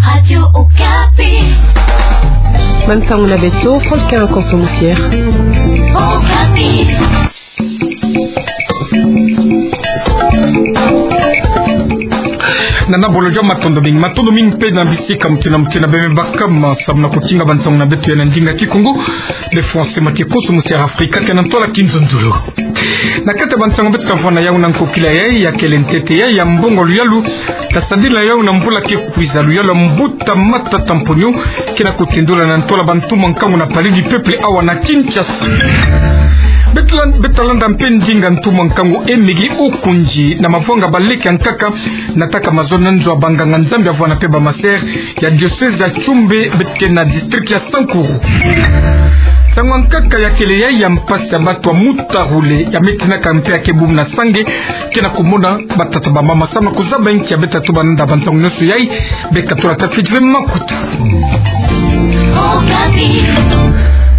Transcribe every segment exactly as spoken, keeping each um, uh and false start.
Radio Okapi. Bansango na beto, Franck Nkonso Musiere. Okapi. Nana bolojo, matondo mingi, matondo mingi mpe na bisika mutina mutina beme bakama samu na kutinga bansango na beto ya na ndinga Kikongo. Be Français Mathieu Nkonso Musiere Afrika ke na ntwala kinzonzolo. Na kati ya bansango beto tavana yau na nkokila yai, ya kele ntete yai ya mbongo luyalu tasadila yau na mvula ke kwiza, luyalu ya mbuta Matata Mponyo ke na kutindula na ntwala bantumwa nkangu na Palais du Peuple awa na Kinshasa. Beto la-, beto talanda mpe ndinga ntumwa nkangu Emigi Okonjo na mavwanga baleke ya nkaka, nataka mazono na nzo ya banganga-Nzambi avana mpe ba masere ya diocèse ya Tchumbe, beto ke na district ya Sankuru. Nsangu ya nkaka ya kele yai ya mpasi ya bato ya mutarule ya me tinaka mpe ya ke bubu na sange, ke na kumona batata bamama samu na kuzaba inki ya beto tatuba nanda bansango nyonso yai. Be katula tafiti ve makutu.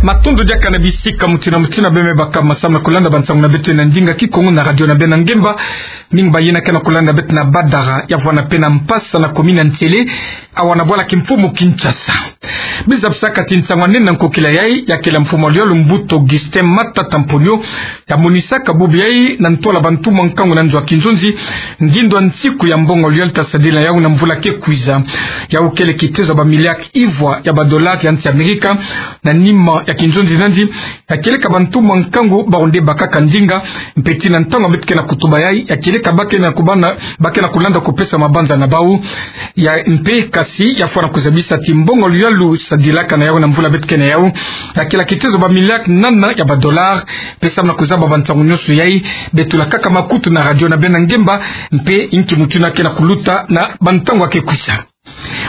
Matondo diaka na bisika mutina mutina beme bakama samu na kulanda bansango na beto na ndinga Kikongo na radio na beno ya ngemba. Mingi bayina ke na kulanda beto na Badara, ya vwanda mpe na Mpasa na commune ya Nsele, awa na bwala kimfumu Kinshasa. Biza bisaka ti nsangu ya nene na nkokila yai, ya kele mfumu ya luyalu mbuta Augustin Matata Mponyo, ya monisaka bubu yai na ntwala bantumwa nkangu na nzo ya kinzonzi, ngindu ya nsiku ya mbongo luyalu tasadila yau na mvula ke kwiza. Yau kele kitezo ya ba milliards ivwa ya ba dollars ya nsi Amerika, na nima ya kinzonzi nandi, ya kieleka bantumwa nkangu bawu nde bakaka ndinga, mpe ti na ntangu beto ke na kutuba yai, ya kieleka ba ke na kubana, ba ke na kulanda kupesa mabanza na bawu. Ya mpe kasi, ya fwana kuzabisa ti mbongo luyalu sadilaka na yau na mvula beto ke na yau, ya kele kitezo ba milliards nana ya ba dollars, mpe samu na kuzaba bansango nyonso yai, beto tula kaka makutu na radio na beno ya ngemba, mpe inki mutu yina ke na kuluta na bantangu ya ke kwiza.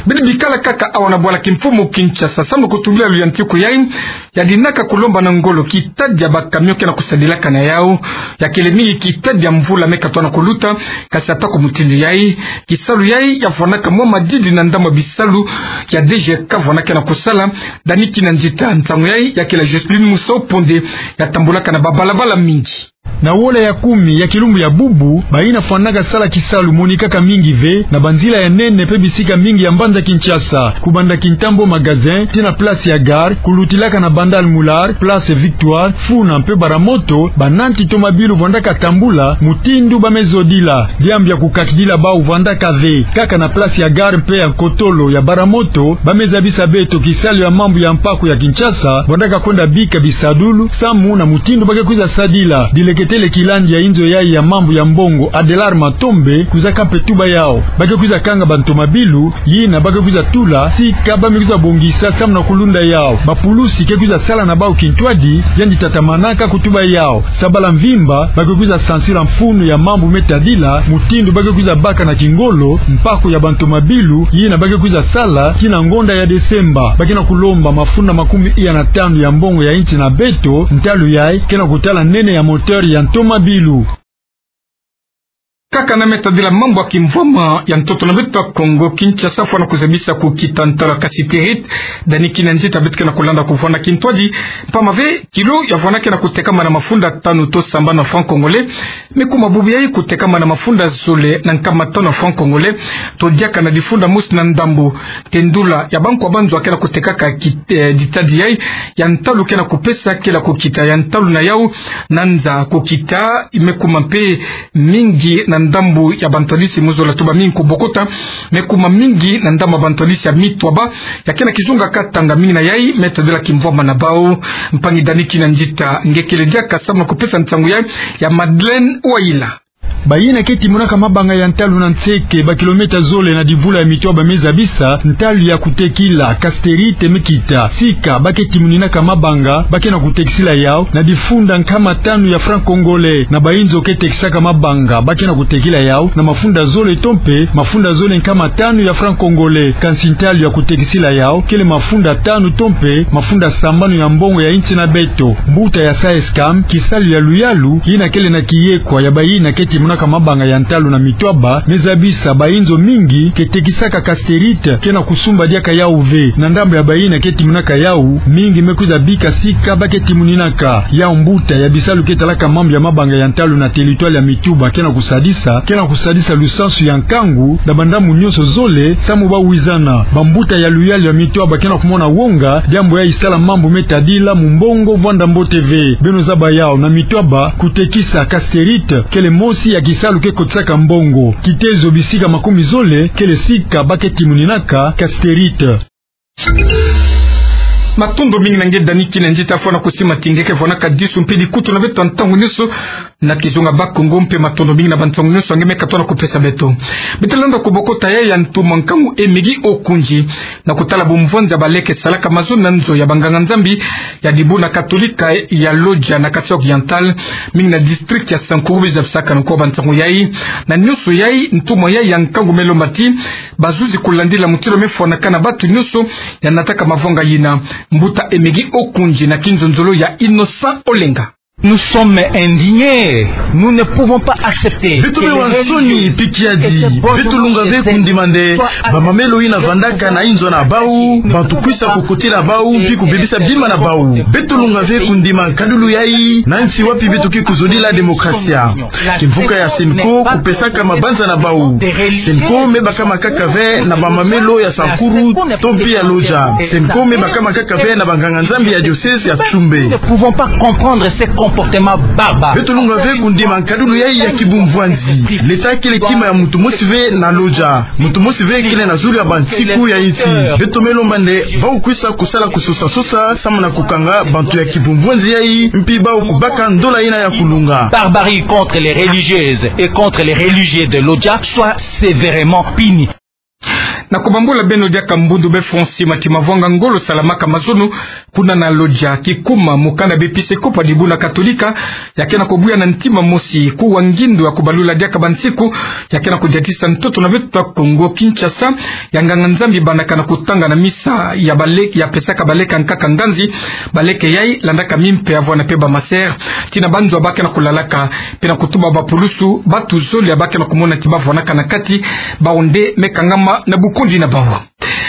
Beno bikala kaka awa na bwala kimfumu Kinshasa samu na kutubila luyantiku yai, ya dinaka kulomba na ngolo kitadi ya ba camion ke na kusadilaka na yau, ya kele mingi kitadi ya mvula me katwa na kuluta, kasi ata ku mutindu yai, kisalu yai ya vwanaka mwa madidi na ndambu ya bisalu ya D G K vwanda ke na kusala. Dani Kinanzita, nsangu yai ya kele ya Joseline Musopo nde ya tambulaka na ba balabala mingi. Na wola ya kumi ya kilumbu ya bubu, bayina fwanaka sala kisalu monikaka mingi ve na banzila ya nene mpe bisika mingi ya mbanza Kinshasa, kubanda Kintambo Magasin tii na place ya gare, kulutilaka na Bandal Moulard, place Victoire, Funa mpe Baramoto, bananti tomabilu vwandaka tambula mutindu ba me zodila. Diambu ya kukakidila bawu vwandaka ve. Kaka na place ya gare mpe ya nkotolo ya Baramoto, ba me zabisa beto kisalu ya mambu ya mpaku ya Kinshasa vwandaka kwenda bika bisadulu samu na mutindu ba ke kwiza sadila. Dileketele kilandi ya inzo yai ya mambu ya mbongo, Adelard Matombe, kwizaka mpe tuba yau. Ba ke kwiza kanga bantomabilu yina ba ke kwiza tula, sika ba me kwiza bongisa samu na kulunda yau. Bapulusi ke kwiza sala na bawu kintwadi, yandi tatamanaka kutuba yau. Sabala mvimba, ba ke kwiza sansila mfunu ya mambu me tadila, mutindu ba ke kwiza baka na kingolo mpaku ya bantomabilu yina ba ke kwiza sala tii na ngonda ya Desemba. Ba ke na kulomba mafunda makumi iya na tanu ya mbongo ya insi na beto, ntalu yai ke na kutala nene ya moteur ya ntomabilu. Kaka na me tadila mambu ya kimvwama ya ntoto na beto ya Kongo, Kinshasa fwana kuzabisa kukita ntalu ya cassiterite. Dani Kinanzita, beto ke na kulanda kuvwanda kintwadi, mpamba ve kilo ya vwanda ke na kutekama na mafunda tanu to sambanu ya franc congolais, me kuma bubu yai kutekama na mafunda zole na nkama tanu ya franc congolais, to diaka na difunda mosi na ndambu. Tendula ya bankwa ba nzo ke na kutekaka ki-, eh, ditadi yai, ya ntalu ke na kupesa kele ya kukita ya ntalu na yau, na nza kukita, me kuma mpe mingi na ndambu ya bantwadisi, mu zola tuba mingi kubokota, me kuma mingi na ndambu ya bantwadisi ya mitwaba, ya ke na kizunga katanga. Mingi na yai me tadila kimvwama na bawu. Mpangi Dani Kinanzita, nge kele diaka samu na kupesa nsangu yai ya Madeleine Wayila. Bayina ke timonaka mabanga ya ntalu na nseke, ba kilomètre zole na divula ya mitwaba me zabisa ntalu ya kutekila, cassiterite me kita. Sika ba ke timoninaka mabanga, ba ke na kutekisila yau na difunda nkama tanu ya franc congolais. Na bayinzo ke tekisaka mabanga, ba ke na kutekila yau na mafunda zole to mpe mafunda zole nkama tanu ya franc congolais. Kansi ntalu ya kutekisila yau kele mafunda tanu to mpe mafunda sambanu ya mbongo ya insi na beto. Mbuta ya SAESCAM, kisalu ya luyalu yina kele na kiyekwa ya bayina ke timonaka mabanga ya ntalu na mituaba, me zabisa bayinzo mingi ke tekisaka casterite, ke na kusumba diaka yau ve. Na ndambu ya bayina ke timonaka yau, mingi me kwiza bika sika ba ke timoninaka. Yau mbuta ya bisalu ke talaka mambu ya mabanga ya ntalu na territoire ya mituaba ke na kusadisa, ke na kusadisa lusansu ya nkangu na bandambu nyonso zole, samu ba wizana. Bambuta ya luyalu ya mituaba ke na kumona wonga diambu yayi sala mambu me tadila mumbongo vwanda mbote ve. Beno zaba yau, na mituaba, kutekisa casterite kele mosi ya kisalu ke kotisaka mbongo. Kitezo bisika makumi zole kele sika ba ke timoninaka casterite. Matondo mingi na nge Dani Kinenji ta fwana kusimatinge ke fwanaka disu mpe dikutu na beto ya ntangu nyonso na kizunga Bakongo, mpe matondo mingi na bansangu nyonso ya nge me katuka na kupesa beto. Beto landa kubokota yayi ya ntuma nkangu Emigi Okunji na kutala bumvwanzi ya baleke salaka mazono na nzo ya banganga-Nzambi ya dibuna katolika ya Lodja na Kasaï Oriental, mingi na district ya Sankuru, biza bisaka na nko bansangu yayi. Na nyonso yayi, ntuma yayi ya nkangu me lomba ti bazuzi kulandila mutindu me fwanaka na bantu nyonso ya nataka mavanga yina. Mbuta Emigi Okunji na kinzonzolo ya Innocent Olenga. Nous sommes indignés. Nous ne pouvons pas accepter. Beto me wa nsoni, mpi kiadi. Beto lunga ve kundima nde bamamelo yina vandaka na inzo na bau, bantu kwisa kukotila bau, mpi kubebisa bima na bau. Beto lunga ve kundima nkadulu yayi, na nsi wapi beto ke kuzodila demokrasia. Kimvuka ya Cenco kupesaka mabanza na bau. Cenco me bakama kaka ve na bamamelo ya Sankuru to mpi ya Lodja. Cenco me bakama kaka ve na banganga-Nzambi ya diocèse ya Tsoumbe. Nous ne pouvons pas comprendre ces comportements barbares. Beto lunga ve kundima nkadulu yayi ya kibumvwanzi. Leta kele kima ya muntu mosi ve na Lodja. Muntu mosi ve kele na zulu ya bansiku ya insi. Beto me lomba nde bau kwisa kusala kusosa-sosa samu na kukanga bantu ya kibumvwanzi yayi, mpi bau kubaka ndola yina ya kulunga. Barbarie contre les religieuses et contre les religieux de Lodja soit sévèrement puni. Na kubambula beno diaka mbundu be fo nsi mati mavanga ngolo salamaka mazono kuna na Lodja, kikuma mukanda b'episkopo ya dibuna katolika ya ke na kubuya na ntima mosi kuwa ngindu ya kubalula diaka bansiku ya ke na kudiatisa ntoto na beto ya Kongo Kinshasa ya nganga-Nzambi bandaka na kutanga na misa ya bale-, ya pesaka baleke ya nkaka nganzi, baleke yayi landaka mimpe ya vwanda mpe bamasere, tii na banzo ba ke na kulalaka, mpe na kutuba bapulusu, bantu zole ya ba ke na kumona ti ba vwanaka na kati, bau nde me kangama na bukundi na bau.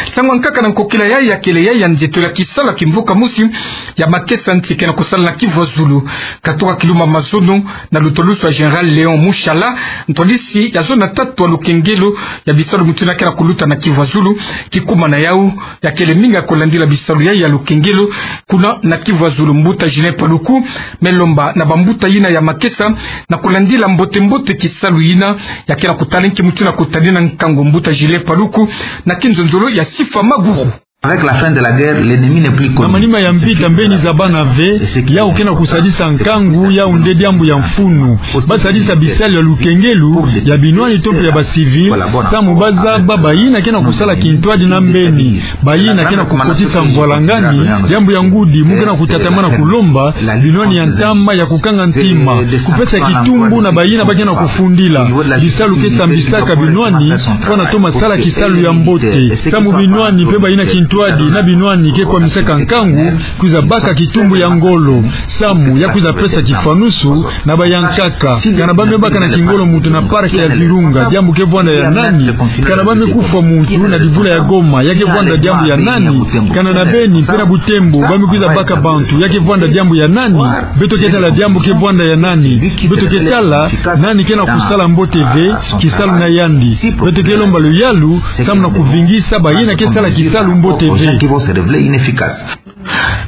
Nsangu ya nkaka na nkokila yayi ya kele yayi ya nzietolo ya kisalu ya kimvuka mosi ya makesa nsi ke na kusala na Kivu ya Zulu. Katuka kilumbu ya mazono na lutwadusu ya Général Léon Mushala, ntwadisi ya zona tatu ya lukengelo ya bisalu mutindu ya ke na kuluta na Kivu ya Zulu, kikuma na yau ya kele mingi ya kulandila bisalu yayi ya lukengelo kuna na Kivu ya Zulu, mbuta Julien Paluku me lomba na bambuta yina ya makesa na kulandila mbote-mbote kisalu yina ya ke na kutala nki mutindu ya kutadina nkangu. Mbuta Julien Paluku na kinzonzolo ya Sifa Maguru. Avec la fin de la guerre, l'ennemi n'est plus connu. Na manima ya mpita mbeni zabana ve, yau ke na kusadisa nkangu, yau nde diambu ya mfunu. Ba sadisa bisalu ya lukengelo ya binwani to mpe ya ba civil, samu ba zaba bayina ke na kusala kintwadi na mbeni, bayina ke na kukotisa mvwalangani, diambu ya ngudi mu ke na kutatamana kulomba binwani ya ntama ya kukanga ntima, kupesa kitumbu na bayina ba ke na kufundila. Bisalu ke sambisaka binwani, fwana toma sala kisalu ya mbote. Samu binwani mpe bayina kintwadi na binwani ke kwamisaka nkangu, kwiza baka kitumbu ya ngolo. Samu ya kwiza pesa kifwanusu na bayankaka. Kana ba me baka na kingolo muntu na parc ya Virunga, diambu ke vwanda ya nani? Kana ba me kufwa muntu na divula ya Goma, ya ke vwanda diambu ya nani? Kana na Beni mpe na Butembo, ba me kwiza baka bantu, ya ke vwanda diambu ya nani? Beto ke tala diambu ke vwanda ya nani? Beto ke tala nani ke na kusala mbote ve kisalu na yandi. Beto ke lomba luyalu, samu na kuvingisa bayina ke sala kisalu mbote ve.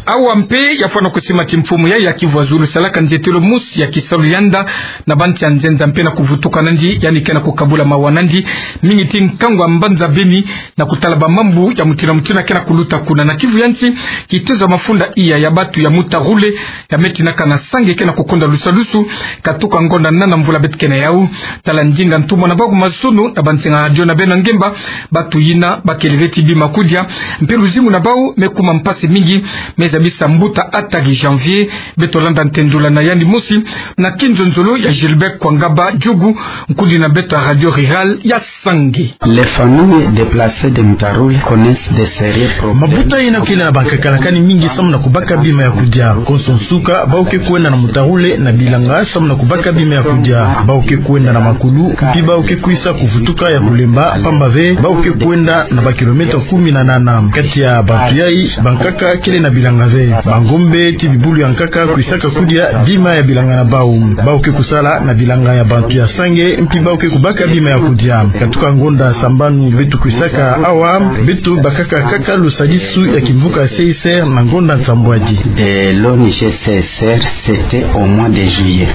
Awa mpe ya fwana kusimati mfumu yayi ya Kivu ya Zulu salaka nzietolo mosi ya kisalu yanda na bantu ya nzenza mpe na kuvutuka nandi, yandi ke na kukabula mawa nandi mingi tii nkangu ya mbanza Beni, na kutala bamambu ya mutindu na mutindu ke na kuluta kuna na Kivu ya nsi. Kitezo ya mafunda iya ya bantu ya muta rouler ya me tinaka na sange ke na kukonda lusalusu, katuka ngonda nana mvula beto ke na yau. Tala ndinga ntumwa na bau ku mazono na bansinga radio na beno ngemba, bantu yina ba kele ve ti bima kudia, mpe luzingu na bau me kuma mpasi mingi, Mais ya bisa mbuta Attali Janvier, beto landa ntendula na yandi mosi na kinzonzolo ya Gilbert Kwangaba Djugu, nkundi na beto ya Radio Rurale ya Sangé. Les familles déplacées de Mutharule connaissent de sérieux problèmes. Mabuta yina kele na bankaka lakani mingi samu na kubaka bima ya kudia. Konso nsuka, bawu ke kwenda na Mutharule na bilanga samu na kubaka bima ya kudia. Bawu ke kwenda na makulu, mpi bawu ke kwisa kuvutuka ya kulemba, pamba ve bawu ke kwenda na bakilomètre kumi na nana. Kati ya bantu yayi, bankaka kele na bilanga ve. Bangombe ti bibulu ya nkaka kwisaka kudia bima ya bilanga na bawu. Bawu ke kusala na bilanga ya bantu ya Sangé, mpi bawu ke kubaka bima ya kudia. Katuka ngonda sambanu beto kwisaka awa, beto bakaka kaka lusadisu ya kimvuka C S R na ngonda nsambwadi. De l'O N G C S R, c'était au mois de juillet.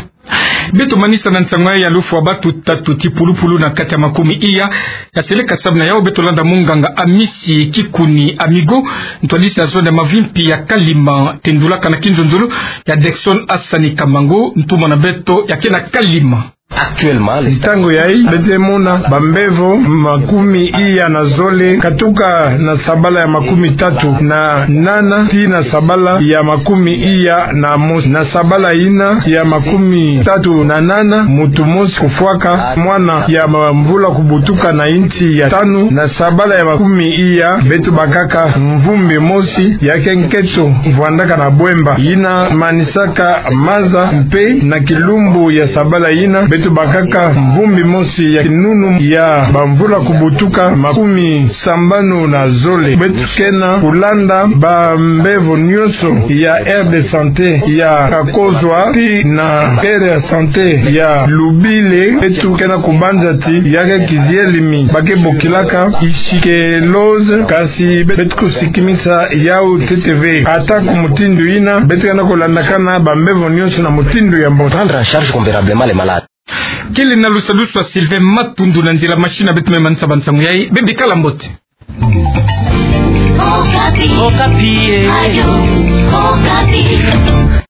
Beto manisa na nsangu ya lufwa batu tatu ti pulupulu na kati ya makumi iya ya seleka samu na yawu. Beto landa munganga Amisi Kikuni Amigo, ntwadisi ya zone ya Mavimpi ya Kalima, tendulaka na kinzonzolo ya Dexon Asani Kamango, ntumwa na beto ya ke na Kalima. Actuellement, ntangu yayi, beto mona bambevo makumi iya na zole, katuka na sabala ya makumi tatu na nana, tii na sabala ya makumi iya na mosi. Na sabala yina ya makumi tatu na nana, muntu mosi kufwaka, mwana ya mvula kubutuka na insi ya tanu. Na sabala ya makumi iya, beto bakaka mvumbi mosi ya ke nketo vwandaka na bwemba, yina manisaka maza, mpe na kilumbu ya sabala yina, beto bakaka mvumbi mosi ya kinunu ya bamvula kubutuka makumi sambanu na zole. Beto ke na kulanda bambevo nyonso ya aire de santé ya Kakozwa, tii na aire ya santé ya Lubile. Beto ke na kubanza ti ya ke kizielemi ba ke bokilaka ischlose, kasi beto kusikimisa yawu ntete ve. Ata ku mutindu yina, beto ke na kulandakana bambevo nyonso na mutindu ya mbote. Prendre en charge convenablement les malades. Kele na lusadusu ya Sylvain Matundu na nzila machine, beto me manisa ba nsangu yayi. Bebikala mbote. Okapi. Okapi, eh. Radio Okapi.